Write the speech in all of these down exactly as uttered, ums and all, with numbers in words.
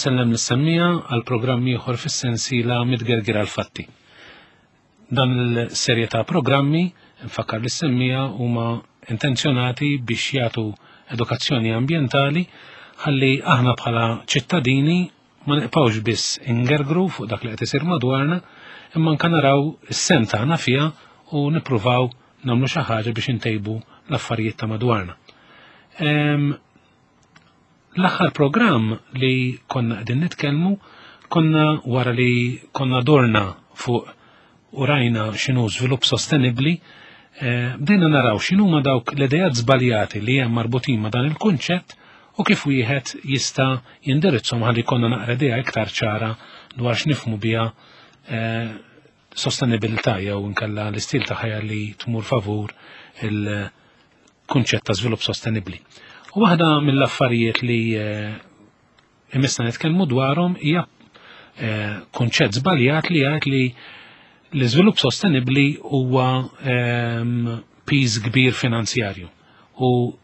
Insellem lis-semmiegħa għal programm ieħor fis-sensiela Mitgerger għal-Fatti. Dan il-serje ta' programmi, nfakkar lis-semmiegħa, huma intenzjonati biex jagħtu edukazzjoni ambjentali ħalli aħna bħala ċittadini ma nibqgħux biss ingergru fuq dak li qed isir madwarna, imma anke naraw is-sehem tagħna fiha u nippruvaw nagħmlu xi ħaġa biex intejbu l-affarijiet ta' madwarna. L-aħħar programm li konna qegħdin nitkellmu, konna wara li konna dorna fuq u rajna x'inhu żvilupp sostenibbli, eh, bdejna naraw x'inhuma dawk l-idejat żbaljati li hemm marbutin ma' dan il-kunċett u kif wieħed jista' jindirizzhom ħalli konna naqra idea iktar ċara dwar x'nifhmu biha eh, sostenibilità jew inkella l-istil ta' ħajja li tmur favur il-kunċett ta' żvilupp sostenibbli. U waħda mill-affarijiet li eh, imissna nitkellmu dwarhom hija eh, kunċett żbaljat li jgħid li l-iżvilupp sostenibbli huwa ehm, piż kbir finanzjarju. U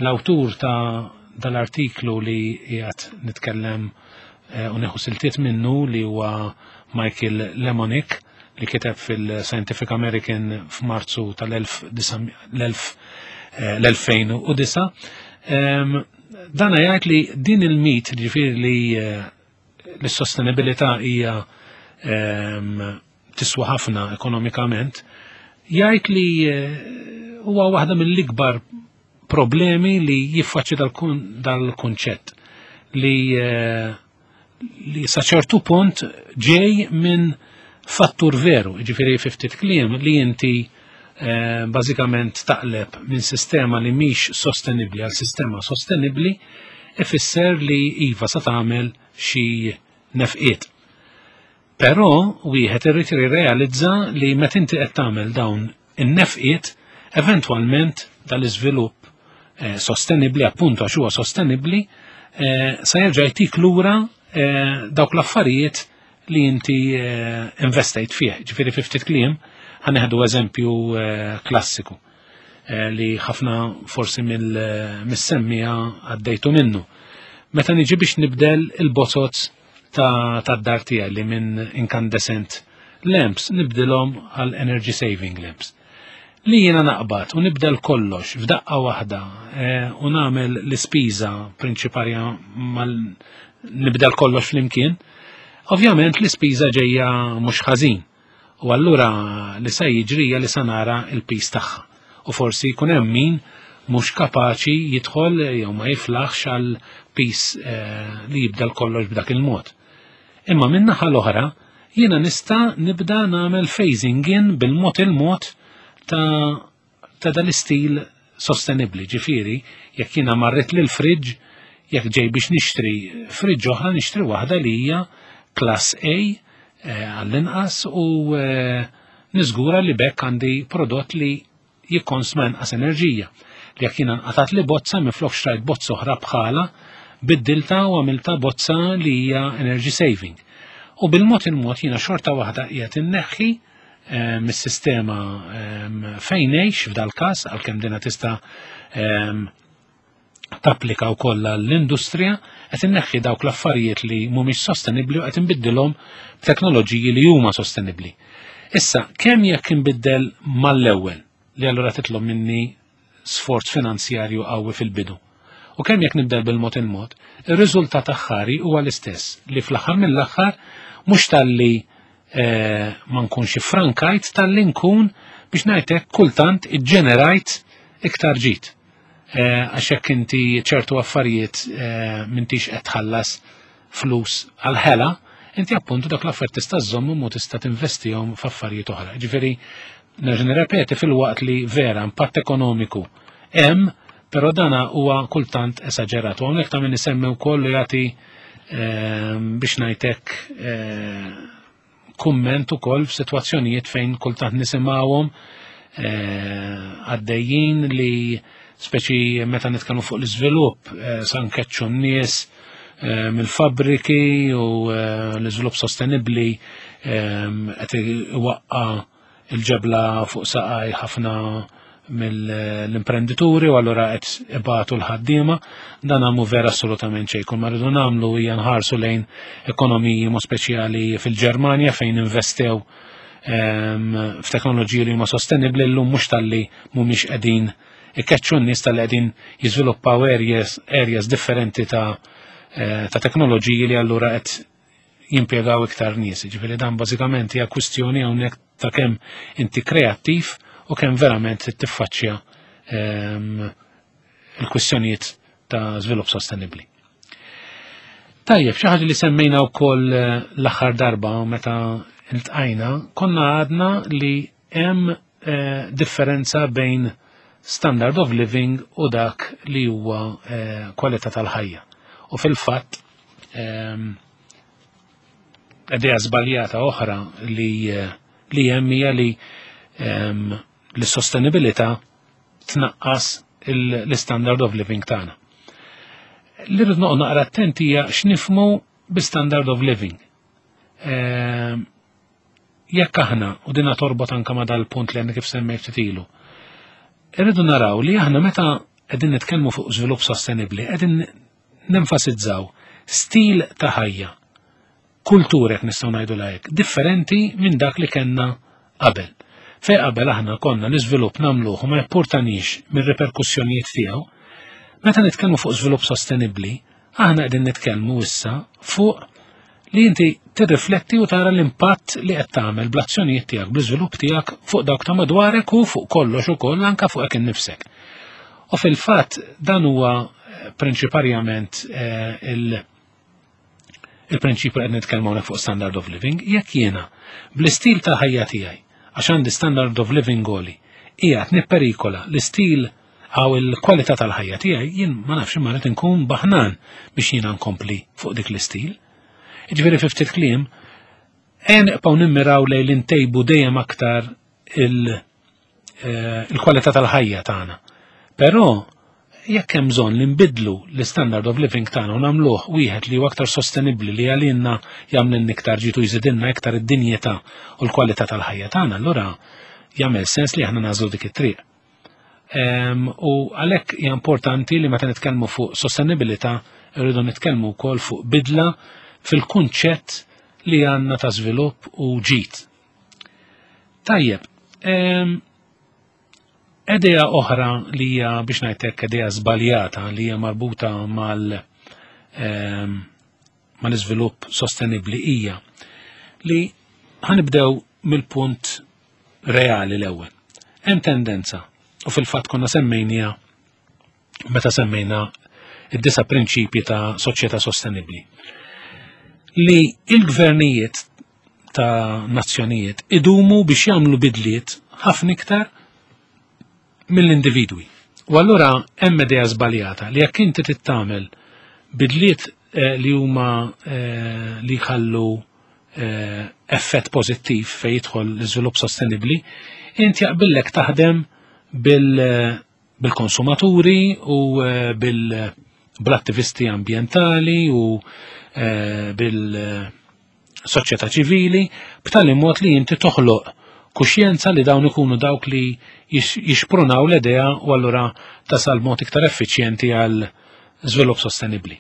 l-awtur ta' dal-artiklu li qiegħed nitkellem eh, u nieħu siltiet minnu, li huwa Michael Lemonick, li kiteb fil-Scientific American f'Marzu tal-elfejn u disgħa, dana jgħid li din il-mit, ġifieri li eh, l-sostenibilità hija tiswa ħafna ekonomikament, jgħid li eh, huwa waħda mill-ikbar problemi li jiffaċċi dal-kunċett li eh, li sa ċertu punt ġej minn fattur veru, ġifieri fi ftit kliem li inti Eh, bażikament taqleb minn sistema li mhix sostenibbli għal sistema sostenibbli ifisser li iva sa tagħmel xi nefqiet. Però wieħed irid jirrealizza li meta inti qed tagħmel dawn in-nefqiet, eventwalment dal-iżvilupp eh, sostenibbli, appuntu għax huwa sostenibbli, eh, sa jerġa' jtik lura dawk l-affarijiet li inti investejt fih. Ġifieri fi ftit kliem, ħa nieħdu eżempju eh, klassiku eh, li ħafna forsi mill-semmiegħa għaddejtu minnu. Meta niġi biex nibdel il-bozoz ta' tad-dar tiegħi li minn incandescent lamps nibdilhom għal energy saving lamps. Li jiena naqbad u nibdel kollox f'daqqa waħda eh, u nagħmel l-ispiża prinċipalja mal nibdel kollox flimkien, ovvjament l-ispiża ġejja mhux ħażin. U allura li sa jiġri li sa nara il-piż tagħha. U forsi jkun hemm min mhux kapaċi jidħol jew ma jiflaħx għal piż eh, li jibdel kollox b'dak il-mod. Imma minn naħa l-oħra jiena nista' nibda nagħmel phasing in bil-mod il-mod ta' ta' dal-istil sostenibli. Ġifieri, jekk jiena marret lil fridge, jekk ġej biex nixtri fridge oħra, nixtri waħda li hija class A eh, għall-inqas u eh, niżgura li bekk għandi prodott li jikkonsma inqas enerġija. Li jekk jiena nqatat li bozza, minflok xtrajt bozza oħra bħala, biddilta u għamilta bozza li hija energy saving. U bil-mod il-mod jiena xorta waħda qiegħed inneħħi eh, mis-sistema fejn ngħix f'dal każ, għalkemm dina tista' tapplika wkoll l-industrija, qed inneħħi dawk l-affarijiet li mhumiex sostenibbli u qed inbiddilhom b'teknoloġiji li huma sostenibbli. Issa, kemm jekk inbiddel mal-ewwel, li allura titlob minni sforz finanzjarju qawwi fil-bidu, u kemm jekk nibdel bil-mod il-mod, ir-riżultat aħħari huwa l-istess, li fl-aħħar mill-aħħar mhux talli eh, ma nkunx frankajt, talli nkun, biex ngħidlek, kultant iġġenerajt iktar ġid. Eh, għax jekk inti ċertu affarijiet eh, m'intix qed tħallas flus għal-ħela, inti appuntu dak l-affarijiet tista' żżommhom u tista' tinvestihom f'affarijiet oħra. Ġifieri nerġa' nirrepeti, filwaqt li vera impatt ekonomiku hemm, però dana huwa kultant esaġerat. U hawnhekk ta' min isemmi wkoll li jagħti eh, biex ngħidlek kumment ukoll f'sitwazzjonijiet fejn kultant nisimgħuhom għaddejjin li speċi meta nitkellmu fuq l-iżvilupp eh, sa nkeċċu n-nies eh, mill-fabriki u eh, l-iżvilupp sostenibbli qed iwaqqa il-ġebla fuq saqaj ħafna mill-imprendituri u allura qed ibatu l-ħaddiema. Dan mhu vera assolutament xejn. Kull ma rridu nagħmlu hija nħarsu lejn ekonomiji, mod speċjali fil-Ġermanja, fejn investew ehm, f'teknoloġiji li huma sostenibbli. Llum mhux talli mhumiex qegħdin ikkeċċu n-nies, talli qegħdin jiżviluppaw areas, areas differenti ta' eh, ta' teknoloġiji li allura qed jimpjegaw iktar nies. Ġifieri dan bażikament hija kwistjoni hawnhekk ta' kemm inti kreattiv u kemm verament tiffaċċja ehm, il-kwistjonijiet ta' żvilupp sostenibbli. Tajjeb, xi ħaġa li semmejna wkoll eh, l-aħħar darba meta iltqajna, konna għadna li hemm eh, differenza bejn standard of living u dak li huwa eh, kwalità tal-ħajja. U fil-fatt ehm, idea żbaljata oħra li eh, li hemm hija li ehm, l-sostenibilità tnaqqas l-standard of living tagħna. Li rrid noqgħod naqra attenti hija x'nifhmu bi standard of living. Ehm, jekk aħna, u dina torbot anka ma dal-punt li għandna kif semmejt ftit ilu, irridu naraw li aħna meta qegħdin nitkellmu fuq żvilupp sostenibbli, qegħdin nenfasizzaw stil ta' ħajja, kultura jekk nistgħu ngħidu hekk, differenti minn dak li kellna qabel. Fej qabel aħna konna l-iżvilupp nagħmluh u ma jimpurtanix mir-reperkussjonijiet tiegħu, meta nitkellmu fuq żvilupp sostenibbli, aħna qegħdin nitkellmu issa fuq li inti tirrifletti u tara l-impatt li qed tagħmel bl-azzjonijiet tiegħek, bl-iżvilupp tiegħek fuq dawk ta' madwarek u fuq kollox ukoll anke fuqek innifsek. U fil-fatt dan huwa eh, prinċiparjament eh, il- il-prinċipju qed nitkellmu hawnhekk fuq standard of living. Jekk jiena bl-istil ta' ħajja tiegħi, għax għandi standard of living għoli, qiegħed nipperikola l-istil għaw il-kwalità tal-ħajja tiegħi, jien ma nafx imma rrid inkun baħnan biex jiena nkompli fuq dik l-istil. Jiġifieri fi ftit kliem, ejja nibqgħu nimmiraw lejn li ntejbu dejjem aktar il- eh, il-kwalità tal-ħajja tagħna. Però jekk hemm bżonn li nbidlu l-standard of living tagħna u nagħmluh wieħed li huwa aktar sostenibbli, li għalina jagħmlilna iktar ġid u jżidilna iktar id-dinjità u l-kwalità tal-ħajja tagħna, allura jagħmel sens li aħna nagħżlu dik it-triq. Em, U għalhekk hija importanti li meta nitkellmu fuq sostenibilità irridu nitkellmu wkoll fuq bidla fil-kunċett li għandna ta' żvilupp u ġid. Tajjeb, em, idea oħra li hija, biex ngħidlek, idea żbaljata li hija marbuta mal em, mal-iżvilupp sostenibbli hija li ħa nibdew mill-punt reali l-ewwel. Hemm tendenza, u fil-fatt konna semmejnija meta semmejna id-disa prinċipji ta' soċjetà sostenibbli, li il-gvernijiet ta' nazzjonijiet idumu biex jagħmlu bidliet ħafna iktar mill-individwi. U allura hemm idea żbaljata li jekk inti tagħmel bidliet eh, li huma eh, li jħallu eh, effett pożittiv fejn jidħol l-iżvilupp sostenibbli, inti jaqbillek taħdem bil- bil-konsumaturi u eh, bil- bl-attivisti ambientali u eh, bil-soċjetà ċivili, b'tali mod li inti toħloq kuxjenza li dawn ikunu dawk li jix- jixprunaw l-idea u allura tasal mod iktar effiċjenti għal żvilupp sostenibbli.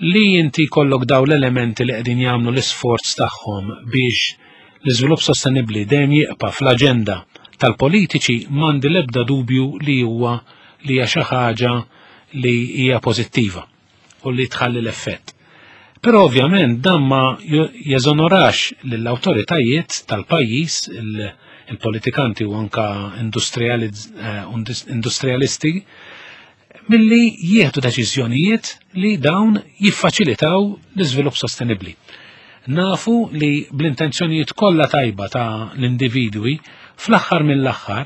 Li inti kollok daw l-elementi li qegħdin jagħmlu l-isforz tagħhom biex l-iżvilupp sostenibbli dejjem jibqa' fl-aġenda tal-politiċi, m'għandi l-ebda dubju li huwa li hija xi ħaġa li hija pożittiva u li tħalli l-effett. Però ovvjament dan ma jeżonorax lill-awtoritajiet tal-pajjiż, il-politikanti u anka eh, industrialisti milli jieħdu deċiżjonijiet li dawn jiffaċilitaw l-iżvilupp sostenibbli. Nafu li bl-intenzjonijiet kollha tajba ta' l-individwi, fl-aħħar mill-aħħar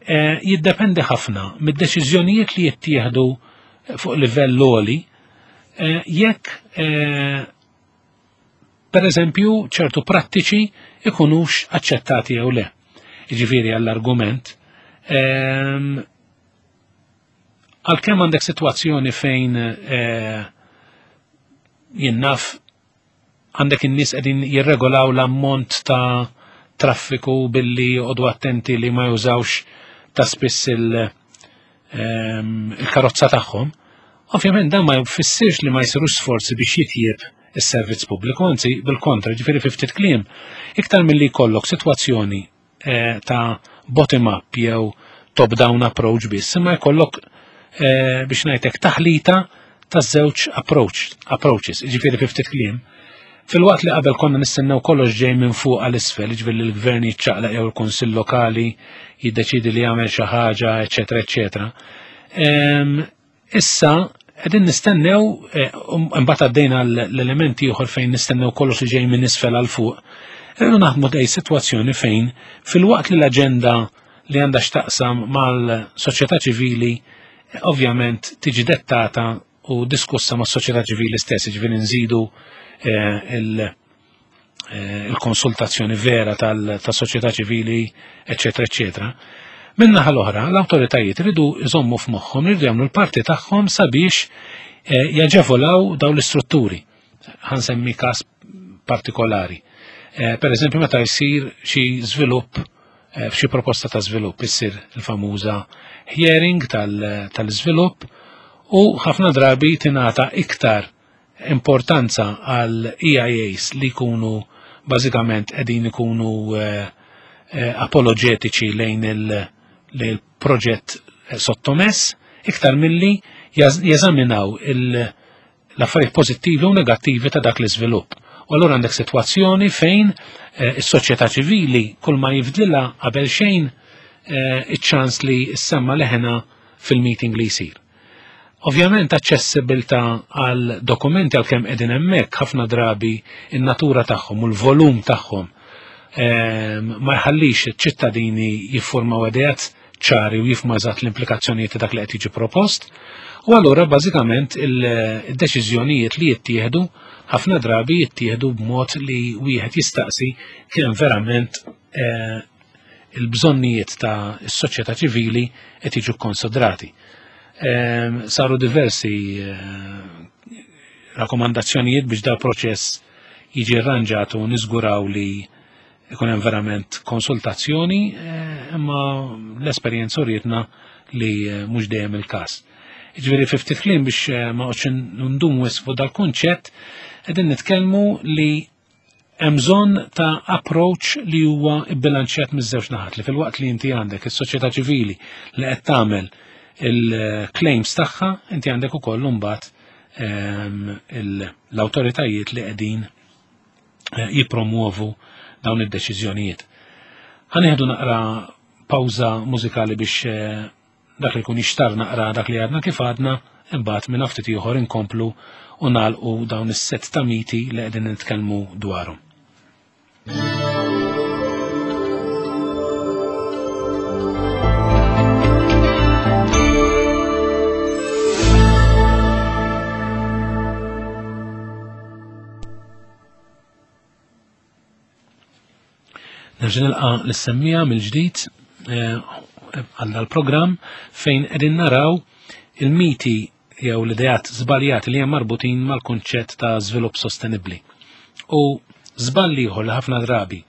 eh, jiddependi ħafna mid-deċiżjonijiet li jittieħdu fuq livell għoli eh, jekk eh, per eżempju ċertu prattiċi ikunux aċċettati jew le. Jiġifieri għall-argument, ehm, għalkemm għandek situazzjoni fejn jien naf għandek in-nies qegħdin jirregolaw l-ammont ta' traffiku billi joqogħdu attenti li ma jużawx ta' spiss il-karozza tagħhom, ovvjament dan ma jfissirx li ma jsirux sforzi biex jitjieb is-servizz pubbliku, anzi bil-kontra, ġifieri fi ftit kliem, iktar milli jkollok sitwazzjoni ta' bottom-up jew top-down approach biss, imma jkollok biex ngħidlek taħlita ta' żewġ approach, approaches, ġifieri fi ftit kliem. Fil-waqt li qabel konna nistennew kollox ġej minn fuq għal isfel, ġifieri l-gvern jiċċaqlaq jew il-kunsill lokali jiddeċidi li jagħmel xi ħaġa, eċetera, eċetera. Issa qegħdin nistennew, imbagħad għaddejna l-elementi ieħor fejn nistennew kollox li ġej minn isfel għal fuq. Irridu naħdmu dej sitwazzjoni fejn fil-waqt li l-aġenda li għandha x'taqsam mal-soċjetà ċivili ovvjament tiġi dettata u diskussa mas-soċjetà ċivili stess, ġifieri nżidu il-konsultazzjoni vera tas-soċjetà ċivili, eċetera, eċetera. Min-naħa l-oħra, l-awtoritajiet iridu jżommu f'moħħhom, iridu jagħmlu l-parti tagħhom sabiex jaġevolaw dawn l-istrutturi. Ħansemmi każ partikolari. Per eżempju, meta jsir xi żvilupp, f'xi proposta ta' żvilupp, issir il-famuża hearing tal-żvilupp u ħafna drabi tingħata iktar importanza għal E I As li jkunu bażikament qegħdin ikunu apologetiċi lejn il-proġett sottomess, iktar milli jeżaminaw l-affarijiet pożittivi u negattivi ta' dak l-iżvilupp. U allura għandek sitwazzjoni fejn is-soċjetà ċivili kull ma jifdlilha qabel xejn iċ-ċans li ssemma leħena fil-meeting li jsir. Ovvjament aċċessibilità għal dokumenti għalkemm qegħdin hemmhekk ħafna drabi in-natura tagħhom u l-volum tagħhom ma jħallix iċ-ċittadini jiffurmaw ideat ċari u jifhmu eżatt l-implikazzjonijiet ta' dak li qed jiġi propost. U allura bażikament il-deċiżjonijiet li jittieħdu ħafna drabi jittieħdu b'mod li wieħed jistaqsi kemm verament il-bżonnijiet ta' s-soċjetà ċivili qed jiġu kkonsidrati. Saru diversi rakkomandazzjonijiet biex dal proċess jiġi arranġat u niżguraw li ikun hemm verament konsultazzjoni, imma l-esperjenza urietna li mhux dejjem il-każ. Jiġifieri fi ftit kliem biex ma noqgħodx ndumu wisq fuq dal-kunċett, qegħdin nitkellmu li hemm bżonn ta' approach li huwa bbilanċjat miż-żewġ naħat, li fil-waqt li inti għandek is-soċjetà ċivili li qed tagħmel il-claims tagħha, inti għandek ukoll imbagħad l-awtoritajiet li qegħdin jippromuovu dawn id-deċiżjonijiet. Ħanieħdu naqra pawża mużikali biex dak li jkun jixtar naqra dak li għadna kif għadna, imbagħad minn ftit ieħor inkomplu u nagħlqu dawn is-set ta' miti li qegħdin nitkellmu dwarhom. Nerġa' nilqa' lis-semmija mill-ġdid għal dal-programm fejn qegħdin naraw il-miti jew l-ideat żbaljati li hemm marbutin mal-kunċett ta' żvilupp sostenibbli. U żball ieħor li ħafna drabi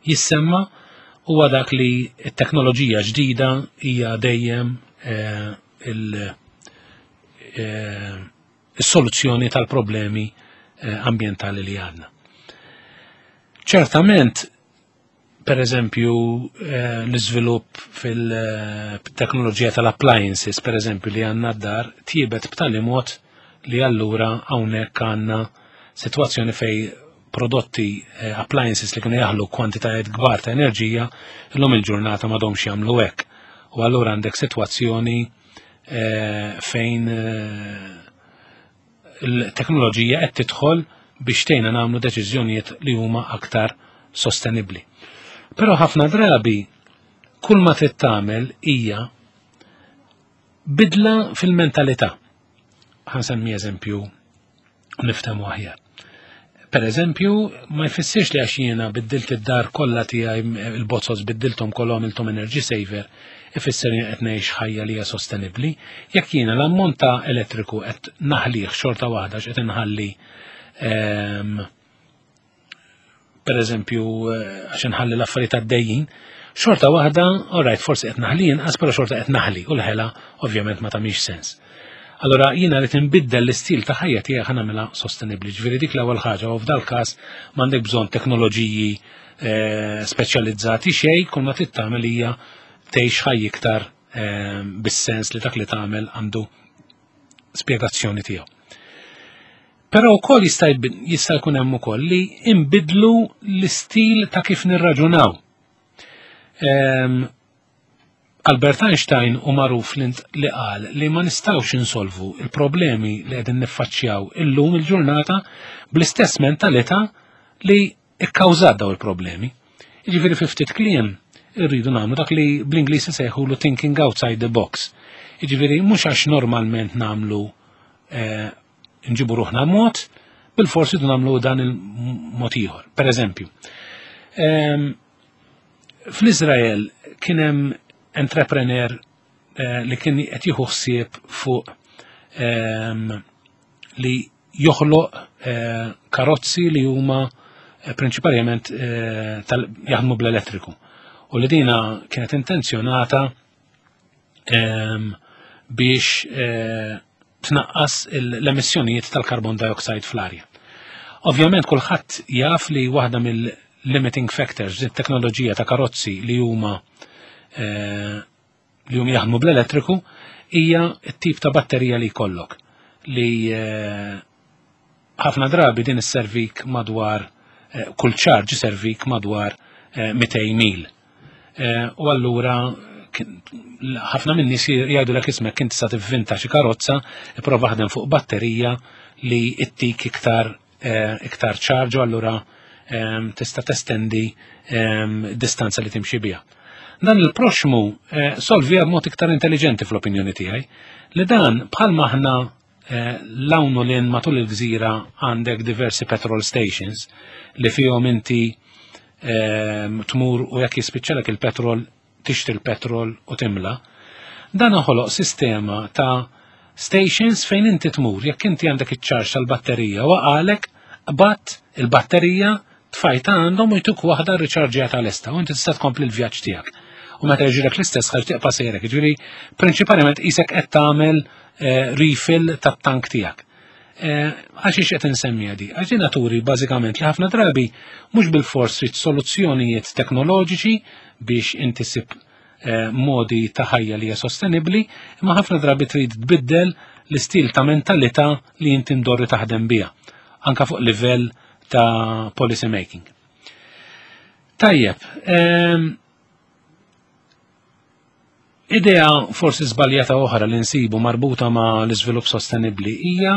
jissemma huwa dak li t-teknoloġija ġdida hija dejjem is-soluzzjoni tal-problemi ambjentali li għandna. Ċertament, per eżempju, l-iżvilupp fil-teknoloġija tal-appliances, per eżempju, li għandna d-dar, tjiebet b'tali mod li allura hawnhekk għandna sitwazzjoni fej prodotti appliances li kienu jaħlu kwantitajiet kbar ta' enerġija, illum il-ġurnata m'għadhomx jagħmlu hekk. U allura għandek sitwazzjoni fejn il-teknoloġija qed tidħol biex tgħinna nagħmlu deċiżjonijiet li huma aktar sostenibbli. Però ħafna drabi kull ma trid tagħmel hija bidla fil-mentalità. Ħansemmi eżempju niftehmu aħjar. Per eżempju, ma jfissirx li għax jiena biddilt id-dar kollha tiegħi il-bozzos biddilthom kollha għamilthom energy saver, ifisser li qed ngħix ħajja li hija sostenibbli. Jekk jiena l-ammont ta' elettriku qed naħlih xorta waħda x'qed inħalli, ehm, per eżempju, għax nħalli l-affarijiet għaddejjin, xorta waħda, alright, forsi qed naħli inqas, però xorta qed naħli, u l-ħela ovvjament ma tagħmilx sens. Allora jiena li tinbiddel l-istil ta' ħajja tiegħek ħa nagħmilha sostenibbli. Ġifieri dik l-ewwel ħaġa, u f'dal każ m'għandek bżonn teknoloġiji eh, speċjalizzati xejn, kull ma trid tagħmel hija tgħix ħajja iktar eh, bis-sens li dak li tagħmel għandu spjegazzjoni tiegħu. Però wkoll jista' jista' jkun hemm ukoll li imbidlu l-istil ta' kif nirraġunaw. Ehm, Albert Einstein u magħruf li qal li ma nistgħux insolvu il-problemi li qegħdin niffaċċjaw illum il-ġurnata bl-istess mentalità li ikkawżat daw il-problemi. Jiġifieri, fi ftit kliem, irridu nagħmlu dak li bl-Ingliż isejħulu thinking outside the box. Jiġifieri mhux għax normalment nagħmlu eh, nġibu ruħna mod, bil-forsi nagħmlu dan il-mod ieħor. Per eżempju, ehm, fl-Izrael kien hemm entrepreneur eh, li kien qed jieħu ħsieb fuq ehm, li joħloq eh, karozzi li huma eh, prinċipalment jaħdmu bl-elettriku. U li dina kienet intenzjonata ehm, biex tnaqqas l-emissjonijiet tal-carbon dioxide fl-arja. Ovvjament kulħadd jaf li waħda mill-limiting factors, it-teknoloġija ta' karozzi li huma Eh, li hum jaħdmu bl-elettriku, hija t-tip ta' batterija li jkollok li eh, ħafna drabi din isservik madwar eh, kull charge servik madwar mitejn mil. U allura ħafna minn nies jgħidu l ismek kien tista' tivvinta xi karozza, ipprova ħdem fuq batterija li ittik iktar iktar charge u allura tista' testendi distanza li timxi biha. Dan il-proxmu eh, solvija b'mod iktar intelligenti fl-opinjoni tiegħi, li dan bħalma aħna eh, l-hawn l matul il-gżira għandek diversi petrol stations li fihom inti eh, tmur u jekk jispiċċalek il-petrol tixtri l-petrol u timla. Dan ħoloq sistema ta' stations fejn inti tmur, jekk inti għandek iċ-charge tal-batterija waqgħalek, bat il-batterija, tfajta għandhom u jtuk waħda riċarġjata lesta u inti tista' tkompli l-vjaġġ tiegħek. U meta jiġrilek l-istess ħaġa tibqa' sejrek. Ġifieri prinċipalment qisek qed tagħmel eh, refill tat-tank tiegħek. Eh, għax qed insemmi di? Għax din turi bażikament li ħafna drabi mhux bil-fors trid soluzzjonijiet teknoloġiċi biex inti ssib eh, modi ta' ħajja li hija sostenibbli, imma ħafna drabi trid tbiddel l-istil ta' mentalità li inti mdorri taħdem biha, anka fuq livell ta' policy making. Tajjeb, ehm, idea forsi żbaljata oħra li nsibu marbuta ma' l-iżvilupp sostenibbli hija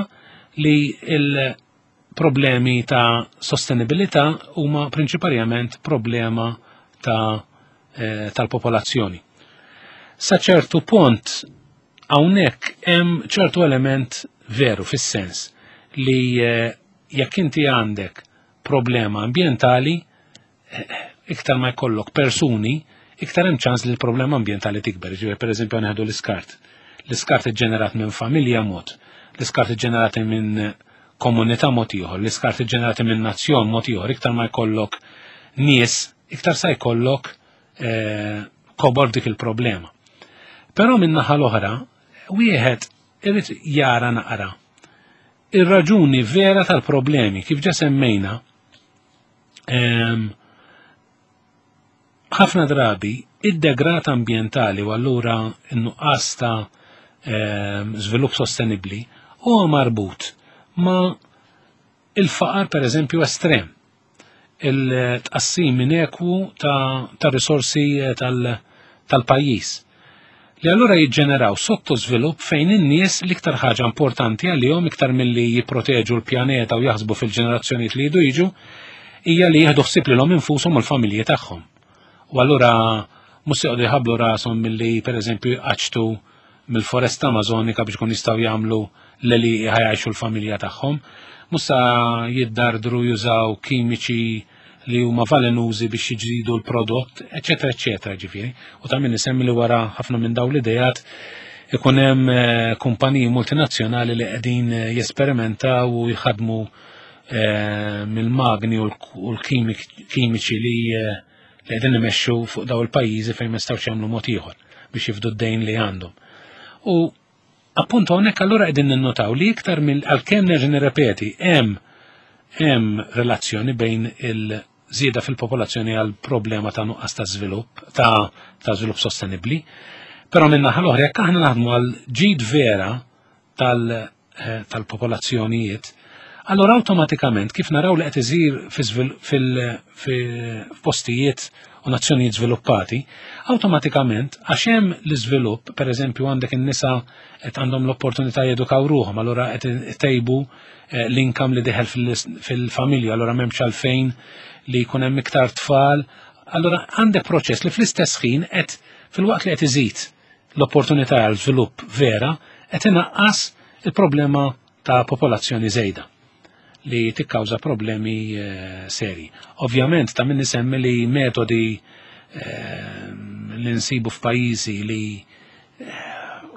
li il-problemi ta' sostenibilità huma prinċipalment problema ta' eh, tal-popolazzjoni. Sa ċertu punt hawnhekk hemm ċertu element veru fis-sens li eh, jekk inti għandek problema ambientali, eh, iktar ma jkollok persuni, iktar hemm ċans li l-problema ambientali tikber. Ġifieri, pereżempju, nieħdu l-iskart. L-iskart iġġenerat minn familja mod, l-iskart iġġenerat minn komunità mod ieħor, l-iskart iġġenerati minn nazzjon mod ieħor, iktar ma jkollok nies, iktar sa jkollok eh, kobor dik il-problema. Però minn naħa l-oħra, wieħed irid jara naqra ir-raġuni vera tal-problemi. Kif ġa semmejna, ehm, ħafna drabi id-degrad ambientali u allura n-nuqqas ta' ehm, żvilupp sostenibbli huwa marbut ma' il-faqar, per eżempju, estrem, il-tqassim inekwu ta', ta risorsi eh, tal-pajjiż li allura jiġġeneraw sottosvilupp fejn in-nies l-iktar ħaġa importanti għalihom, iktar milli jipproteġu l-pjaneta u jaħsbu fil-ġenerazzjonijiet li jidu jiġu, hija li jieħdu ħsieb lilhom infushom u l-familji tagħhom. U allura mhux se jqogħdu jħabblu rashom milli, pereżempju, jqaċtu mill-foresta Amazonika biex kun jistgħu jagħmlu l-li ħa jgħajxu l-familja tagħhom. Mhux sa jiddardru jużaw kimiċi li huma velenużi biex jiġidu l-prodott, eċetera, eċetera, ġifieri. U ta' min isemmi li wara ħafna minn dawn l-idejat ikun hemm eh, kumpaniji multinazzjonali li qegħdin eh, jesperimentaw u jħadmu eh, mill-magni u l-kimiċi li eh, li qegħdin imexxu fuq daw il-pajjiżi fejn ma jistgħux jagħmlu mod ieħor biex jifdu d-dejn li għandhom. U appunto hawnhekk allura qegħdin ninnotaw li iktar mill għalkemm nerġa' nirrepeti, hemm hemm relazzjoni bejn il-żieda fil-popolazzjoni għal problema ta' nuqqas ta' żvilupp ta' ta' żvilupp sostenibbli, però minn naħa l-oħra, jekk aħna naħdmu għal ġid vera tal eh, tal-popolazzjonijiet, allora awtomatikament, kif naraw li qed isir fil-postijiet u nazzjonijiet żviluppati, awtomatikament, għax hemm l-iżvilupp, pereżempju għandek in-nisa qed għandhom l-opportunità jedukaw ruħhom, allura qed itejbu eh, l-income li dieħel fil-familja, allura m'hemmx għalfejn li jkun hemm iktar tfal. Allura għandek proċess li fl-istess ħin qed, filwaqt li qed iżid l-opportunità għal żvilupp vera, qed inaqqas il-problema ta' popolazzjoni żejda li tikkawża problemi eh, seri. Ovvjament ta' min isemmi li metodi eh, li nsibu f'pajjiżi li eh,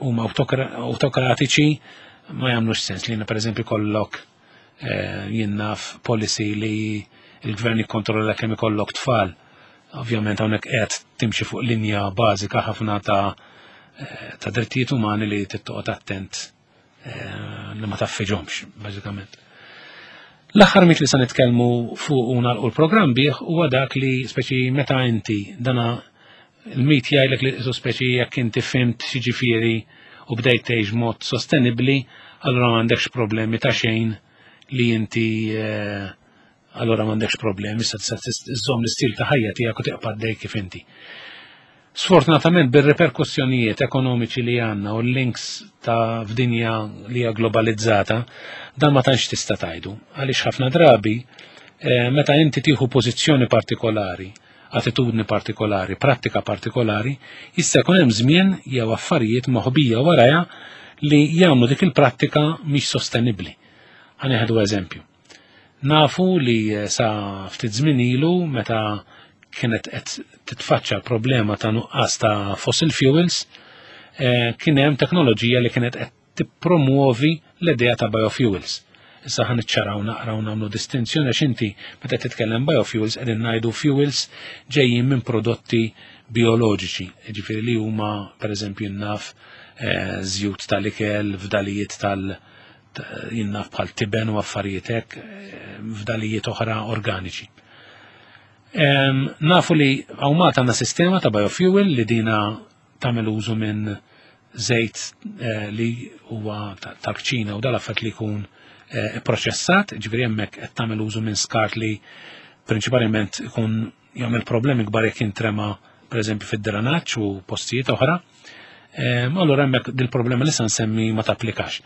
huma autokratiċi ma jagħmlux sens, li pereżempju kollok jien naf policy li il-gvern jikkontrolla kemm ikollok tfal. Ovvjament hawnhekk qed timxi fuq linja bażika ħafna ta' ta' drittijiet umani li tittoqgħod attent li ma taffiġhomx, bażikament. L-aħħar mit li se nitkellmu fuq u nagħlqu l-programm bih huwa dak li speċi meta inti, dana il-mit jgħidlek li su speċi jekk inti fhimt x'jiġifieri u bdejt tgħix mod sostenibbli, allura m'għandekx problemi ta' xejn, li inti eh, allura m'għandekx problemi, issa tista' iżżomm l-istil ta' ħajja tiegħek u tibqa' għaddej kif inti. Sfortunatament, bir-reperkussjonijiet ekonomiċi li għandna u l-links ta' f'dinja li hija globalizzata, dan ma tantx tista' tgħidu. Għaliex ħafna drabi eh, meta inti tieħu pożizzjoni partikolari, attitudni partikolari, prattika partikolari, jista' jkun hemm żmien jew affarijiet moħbija warajha li jagħmlu dik il-prattika mhix sostenibbli. Ħa nieħdu eżempju. Nafu li eh, sa ftit żmien ilu, meta kienet qed titfaċċa problema ta' nuqqas ta' fossil fuels, eh, kien hemm teknoloġija li kienet qed tippromuovi l-idea ta' biofuels. Issa ħa niċċaraw naqraw, nagħmlu distinzjoni, għax inti meta titkellem biofuels qegħdin ngħidu fuels ġejjin minn prodotti bioloġiċi, ġifieri li huma pereżempju naf eh, żjut tal-ikel, fdalijiet tal- jien naf bħal tiben u affarijiet hekk, eh, fdalijiet oħra organiċi. Nafu li hawn Malta għandna sistema ta' biofuel li dina tagħmel użu minn żejt eh, li huwa tal-kċina u dal-affett li jkun eh, proċessat, ġifieri hemmhekk qed tagħmel użu minn skart li prinċipalment ikun jagħmel problemi kbar jekk jintrema pereżempju fid-drenaġġ u postijiet oħra. Allura hemmhekk dil-problema li se nsemmi ma tapplikax.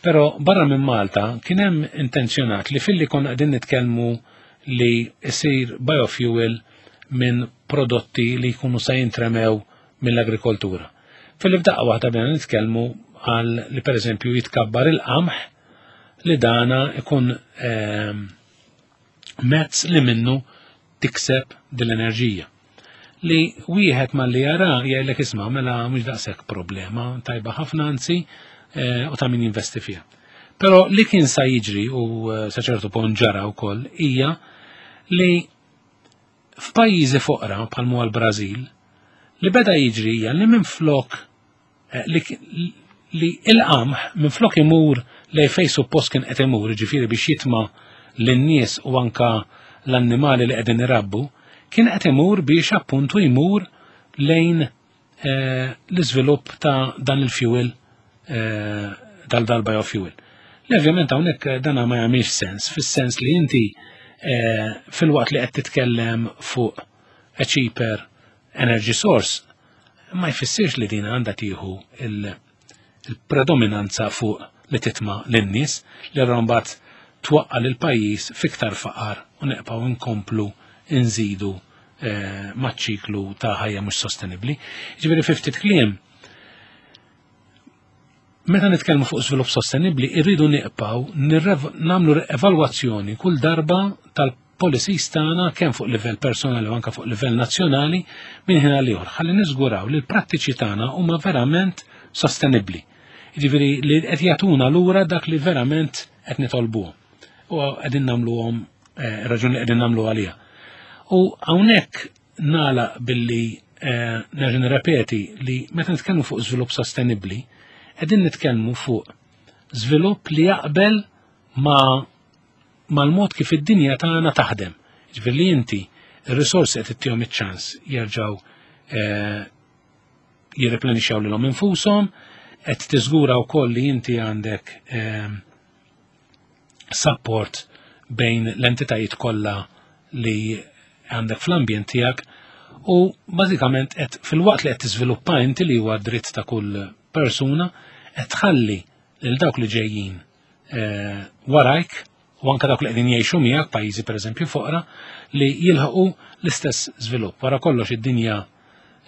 Però barra minn Malta kien hemm intenzjonat li filli konna qegħdin nitkellmu li jsir biofuel minn prodotti li jkunu sa jintremew mill-agrikoltura, filli f'daqqa waħda bdejna nitkellmu għal li pereżempju jitkabbar il-qamħ, li dana ikun ehm, mezz li minnu tikseb dil-enerġija. Li wieħed ma li jara jgħidlek, "Isma', mela mhux daqshekk problema, tajba ħafna anzi eh, u ta' min jinvesti fiha." Però li kien sa jiġri, u eh, sa ċertu punt ġara wkoll, hija li f'pajjiżi foqra bħal l-Brażil, li beda jiġri hija li minn flok eh, li, li il-qamħ minn flok imur lej fej suppost kien qed imur, ġifieri biex jitma lin-nies u anka l-annimali li qegħdin irabbu, kien qed imur biex appuntu jmur lejn eh, l-iżvilupp ta' dan il-fuel, eh, dal-dal-biofuel. Li ovvjament hawnhekk dana ma jagħmilx sens, fis-sens li inti eh, filwaqt li qed titkellem fuq a cheaper energy source, ma jfissirx li din għandha tieħu il-predominanza fuq li titma lin-nies, li mbagħad twaqqa lil pajjiż fiktar faqar u neqpaw inkomplu nżidu eh, maċ-ċiklu ta' ħajja mhux sostenibbli. Ġifieri, fi ftit kliem, meta nitkellmu fuq żvilupp sostenibbli, irridu niqpaw nagħmlu evalwazzjoni kull darba tal-policies tagħna, kemm fuq livell personali u anke fuq livell nazzjonali, minn ħin għal ieħor, ħalli niżguraw li l-prattiċi tagħna huma verament sostenibbli. Jiġifieri li qed jagħtuna lura dak li verament qed nitolbuh. u qegħdin nagħmluhom eh, raġuni li qegħdin nagħmlu għalija. U hawnhekk nagħlaq billi eh, nerġa' nirrepeti li meta nitkellmu fuq żvilupp sostenibbli, qegħdin nitkellmu fuq żvilupp li jaqbel ma' mal-mod kif id-dinja tagħna taħdem. Ġifieri li inti ir-risorsi qed ittihom iċ-ċans jerġgħu eh, jirreplenixxaw lilhom infushom, qed tiżgura wkoll li inti għandek eh, support bejn l-entitajiet kollha li għandek fl-ambjent tiegħek u bażikament qed filwaqt li qed tiżviluppa inti, li huwa dritt ta' kull persuna, qed tħalli lil dawk li ġejjin eh, warajk u anka dawk li qegħdin jgħixu miegħek, pajjiżi pereżempju foqra, li jilħqu l-istess żvilupp. Wara kollox id-dinja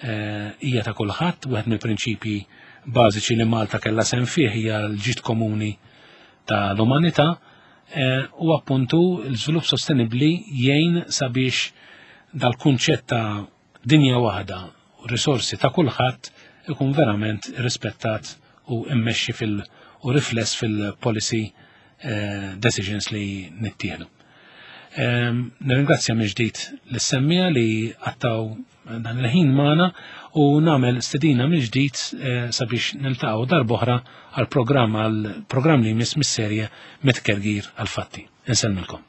eh, hija ta' kulħadd. Wieħed mill-prinċipji bażiċi li Malta kellha sehem fih hija l-ġid komuni ta' l-umanità eh, u appuntu l-żvilupp sostenibbli jgħin sabiex dal-kunċett ta' dinja waħda u risorsi ta' kulħadd ikun verament rispettat u immexxi fil- u rifless fil-policy eh, decisions li nittieħdu. Ehm, Nirringrazzja mill-ġdid lis-semmiegħa li qattgħu dan il-ħin magħna u nagħmel stedina mill-ġdid eh, sabiex niltaqgħu darb'oħra għal programm għal programm li jmiss mis-serje Mit-Tgergir għal-Fatti. Insellmilkom.